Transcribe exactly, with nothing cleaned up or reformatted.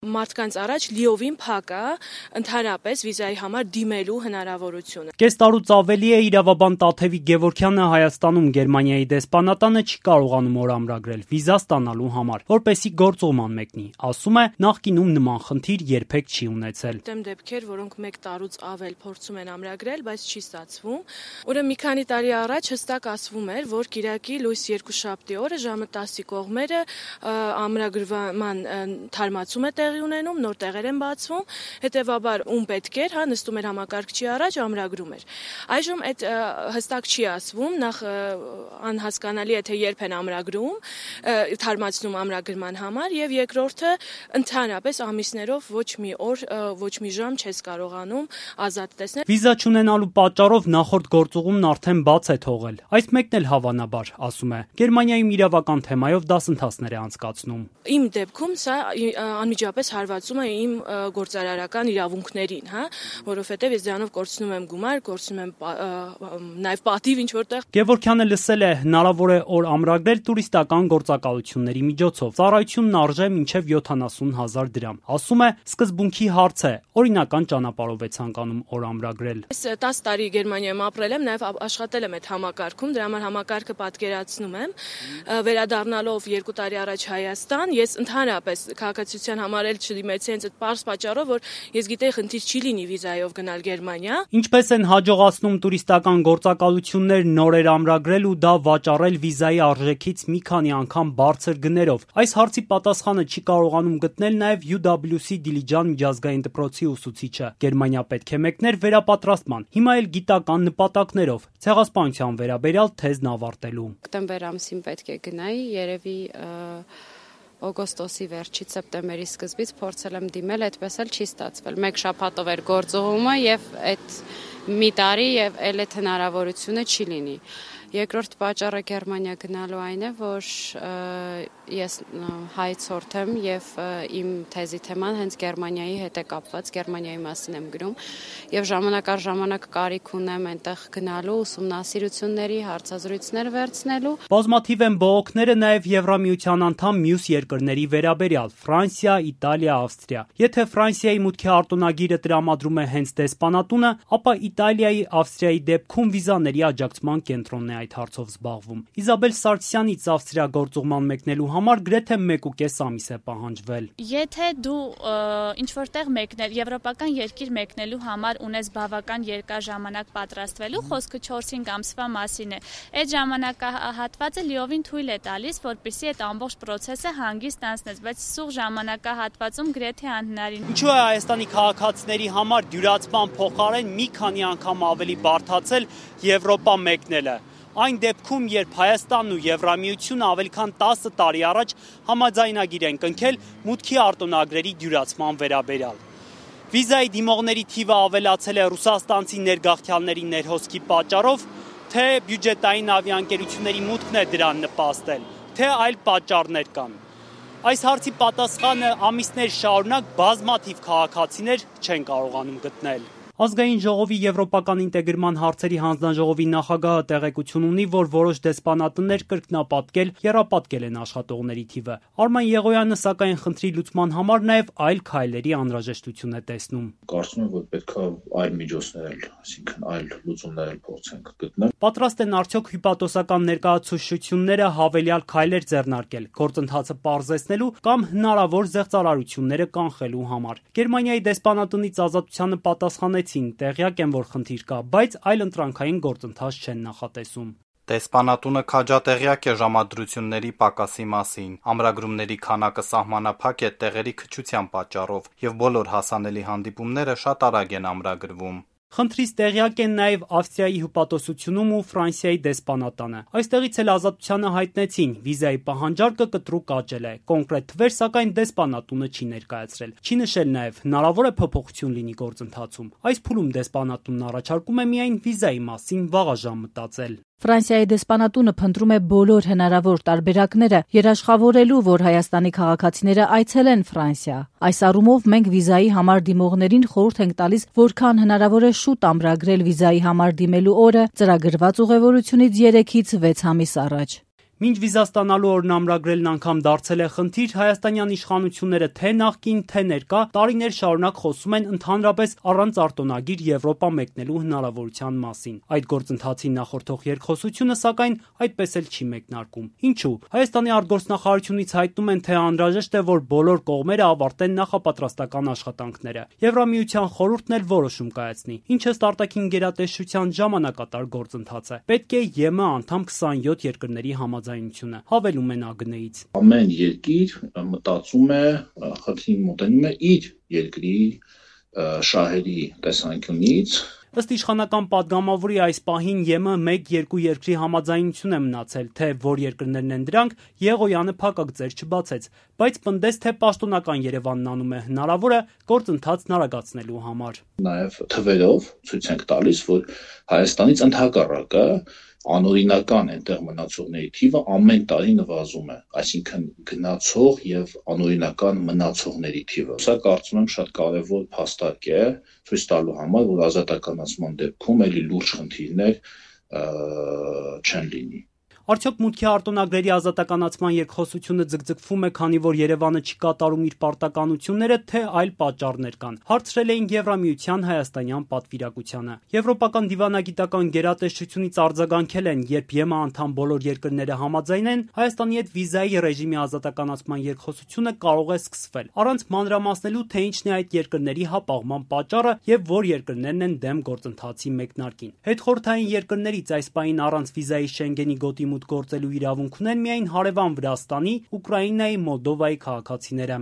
Մարդկանց առաջ լիովին փակ է ընդհանրապես վիզայի համար դիմելու հնարավորությունը։ Կես տարուց ավելի է իրավաբան Տաթևիկ Գևորգյանը Հայաստանում Գերմանիայի դեսպանատանը չի կարողանում օր ամրագրել վիզա ստանալու համար, որպեսզի գործուղման մեկնի։ Ասում է, նախկինում նման խնդիր երբեք չի ունեցել։ Դեմ դեպքեր, որոնք մեկ տարուց ավել փորձում են ամրագրել, բայց չի ստացվում։ Ուրեմն մի քանի տարի առաջ հստակ ասվում էր, որ Կիրակի լույս երկուշաբթի օրը ժամը տասի կողմերը ամրագրման թարմացում է ունենում, նոր տեղեր են բացվում, հետևաբար ում պետք էր, հա, նստում էր համակարգչի առաջ, ամրագրում էր։ Այժմ այդ հստակ չի ասվում, նախ անհասկանալի է, թե երբ են ամրագրում, թարմացնում ամրագրման համար, եւ երկրորդը ընդհանրապես ամիսներով ոչ մի օր, ոչ մի ժամ չես կարողանում ազատ տեսնել։ Վիզա չունենալու պատճառով նախորդ գործուղումն արդեն բաց է թողել։ Այս մեկն էլ հավանաբար, ասում է, Գերմանիայում իրավական թեմայով դասընթացներ է անցկացնում։ Իմ դեպքում սա անմիջապես հարվածում է իմ գործարարական իրավունքներին, հա, որովհետև ես դրանով կորցնում եմ գումար, կորցնում եմ նաև պատիվ ինչ որտեղ։ Գևորգյանը լսել է, հնարավոր է օր ամրագրել տուրիստական գործակալությունների միջոցով։ Ծառայությունն արժե մինչև յոթանասուն հազար դրամ։ Ասում է, սկզբունքի հարց է, օրինական ճանապարհով է ցանկանում օր ամրագրել։ Ես տասը տարի Գերմանիայում ապրել եմ, նաև աշխատել եմ այդ համակարգում, դրա համար համակարգը պատկերացնում եմ։ Վերադառնալով երկու տարի առաջ Հայաստան, ես ընդհանրապես քաղաքացիության համար էլ չդիմեցի հենց այդ պարզ պատճառով, որ ես գիտեի խնդիր չի լինի վիզայով գնալ Գերմանիա։ Ինչպես են հաջողացնում տուրիստական գործակալություններ նորեր ամրագրել ու դա վաճառել վիզայի արժեքից մի քանի անգամ բարձր գներով։ Այս հարցի պատասխանը չի կարողանում գտնել նաև յու դաբլյու սի Դիլիջան միջազգային դպրոցի ուսուցիչը։ Գերմանիա պետք է մեկներ վերապատրաստման, հիմա էլ գիտական նպատակներով, ցեղասպանության վերաբերյալ թեզն ավարտելու։ Հոկտեմբեր ամսին պետք է գնայի, երևի օգոստոսի վերջից սեպտեմբերի սկզբից փորձել եմ դիմել, այդպես էլ չի ստացվել։ Մեկ շաբաթով էր գործողումը եւ այդ մի տարի եւ էլ այդ հնարավորությունը չի լինի։ Երկրորդ պատճառը Գերմանիա գնալու այն է, որ ես հայցորդ եմ եւ իմ թեզի թեման հենց Գերմանիայի հետ է կապված, Գերմանիայի մասին եմ գրում եւ ժամանակ առ ժամանակ կարիք ունեմ այնտեղ գնալու, ուսումնասիրությունների, հարցազրույցներ վերցնելու։ Բազմաթիվ են բողոքները նաև Եվրամիության անդամ մյուս երկրների վերաբերյալ՝ Ֆրանսիա, Իտալիա, Ավստրիա։ Եթե Ֆրանսիայի մուտքի արտոնագիրը տրամադրում է հենց դեսպանատունը, ապա Իտալիայի, Ավստրիայի դեպքում վիզաների աջակցման կենտրոնն է այդ հարցով զբաղվում։ Իզաբել Սարգսյանից Ավստրիա գործուղման մեկնելու համար գրեթե մեկ ու կես ամիս է պահանջվել։ Եթե դու ինչ-որտեղ մեկնել, եվրոպական երկիր մեկնելու համար ունես բավական երկար ժամանակ պատրաստվելու, խոսքը չորս-հինգ ամսվա մասին է։ Այդ ժամանակահատվածը լիովին թույլ է տալիս, որպեսզի այդ ամբողջ process-ը հանգիստ անցնես, բայց սուղ ժամանակահատվածում գրեթե անհնարին։ Ինչու է Հայաստանի քաղաքացիների համար դյուրացման փոխարեն մի քանի անգամ ավելի բարդացել Եվրոպա մեկնելը։ Այն դեպքում, երբ Հայաստանն ու Եվրամիությունը ավելի քան տասը տարի առաջ համաձայնագիր են կնքել մուտքի արտոնագրերի դյուրացման վերաբերյալ։ Վիզայի դիմողների թիվը ավելացել է ռուսաստանցի ներգաղթյալների ներհոսքի պատճառով, թե բյուջետային ավիաընկերությունների մուտքն է դրան նպաստել, թե այլ պատճառներ կան։ Այս հարցի պատասխանը ամիսներ շարունակ բազմաթիվ քաղաքացիներ չեն կարողանում գտնել։ Ազգային ժողովի եվրոպական ինտեգրման հարցերի հանձնաժողովի նախագահը տեղեկություն ունի, որ որոշ դեսպանատներ կրկնապատկել, եռապատկել են աշխատողների թիվը։ Արման Եղոյանը սակայն խնդրի լուծման համար նաև այլ քայլերի անհրաժեշտություն է տեսնում։ Կարծում եմ, որ պետք է այլ միջոցներ, այսինքն այլ լուծումներ փորձենք գտնել։ Պատրաստ են արդյոք հյուպատոսական ներկայացուցչությունները հավելյալ քայլեր ձեռնարկել, գործընթացը պարզեցնելու կամ հնարավոր զեղծարարությունները կանխելու համար։ Գերմանիայի դեսպանատնից ազատությանը պատասխանեցին, տեղյակ են, որ խնդիր կա, բայց այլ ընտրանքային գործընթաց չեն նախատեսում։ Դեսպանատունը քաջատեղյակ է ժամադրությունների պակասի մասին, ամրագրումների քանակը սահմանափակ է տեղերի քչության պատճառով և բոլոր հասանելի հանդիպումները շատ արագ են ամրագրվում։ Խնդրից տեղյակ են նաև Ավստրիայի հյուպատոսությունում ու Ֆրանսիայի դեսպանատանը։ Այստեղից էլ ազատությանը հայտնեցին, վիզայի պահանջարկը կտրուկ աճել է, կոնկրետ թվեր, սակայն դեսպանատունը չի ներկայացրել։ Չի նշել նաև, հնարավոր է փոփոխություն լինի գործընթացում։ Այս փուլում դեսպանատունն առաջարկում է միայն վիզայի մասին վաղաժամ մտածել։ Ֆրանսիայի դեսպանատունը փնտրում է բոլոր հնարավոր տարբերակները երաշխավորելու, որ Հայաստանի քաղաքացիները այցելեն Ֆրանսիա։ Այս առումով մենք վիզայի համար դիմողներին խորհուրդ ենք տալիս, որքան հնարավոր է շուտ ամրագրել վիզայի համար դիմելու օրը ծրագրված ուղևորությունից երեքից վեց ամիս առաջ։ Մինչ վիզա ստանալու օրն ամրագրելն անգամ դարձել է խնդիր, հայաստանյան իշխանությունները թե նախկին, թե ներկա տարիներ շարունակ խոսում են ընդհանրապես առանց արտոնագիր Եվրոպա մեկնելու հնարավորության մասին։ Այդ գործընթացին նախորդող երկխոսությունը, սակայն, այդպես էլ չի մեկնարկում։ Ինչու՞։ Հայաստանի արտգործնախարարությունից հայտնում են, թե անհրաժեշտ է, որ բոլոր կողմերը ավարտեն նախապատրաստական աշխատանքները։ Եվրամիության խորհուրդն էլ որոշում կայացնի, ինչը ըստ արտաքին գերատեսչության ժամանակատար գործընթաց է։ Պետք է ԵՄ անդամ քսանյոթ երկրների համաձայնությունը, հավելում են ԱԳՆ-ից։ Ամեն երկիր մտածում է, խնդրին մոտենում է իր երկրի շահերի տեսանկյունից։ Ըստ իշխանական падգամավորի այս պահին ԵՄ մեկ-երկու երկրի համաձայնություն է մնացել, թե որ երկրներն են դրանք, Եղոյանը փակակ ձեռ չբացեց, բայց պնդեց, թե պաշտոնական Երևանն անում է հնարավորը գործընթացն արագացնելու համար։ Նաև թվերով ցույց ենք տալիս, որ Հայաստանից ընդհակառակը անօրինական այնտեղ մնացողների թիվը ամեն տարի նվազում է, այսինքն գնացող եւ անօրինական մնացողների թիվը։ Սա կարծում եմ շատ կարեւոր փաստարկ է ցույց տալու համար, որ ազատականացման դեպքում էլի լուրջ խնդիրներ չեն լինի։ Արդյոք մուտքի արտոնագրերի ազատականացման երկխոսությունը ձգձգվում է, քանի որ Երևանը չի կատարում իր պարտականությունները, թե այլ պատճառներ կան։ Հարցրել էինք Եվրամիության հայաստանյան պատվիրակությանը։ Եվրոպական դիվանագիտական գերատեսչությունից արձագանքել են, երբ ԵՄ անդամ բոլոր երկրները համաձայնեն, Հայաստանի հետ վիզայի ռեժիմի ազատականացման երկխոսությունը կարող է սկսվել, առանց մանրամասնելու, թե ինչն է այդ երկրների հապաղման պատճառը եւ որ երկրներն են դեմ գործընթացի մեկնարկին։ Հետխորհրդային երկրներից այս պահին առանց վիզայի Շենգենի գոտի գործելու իրավունք ունեն միայն հարևան Վրաստանի, Ուկրաինայի, Մոլդովայի քաղաքացիները։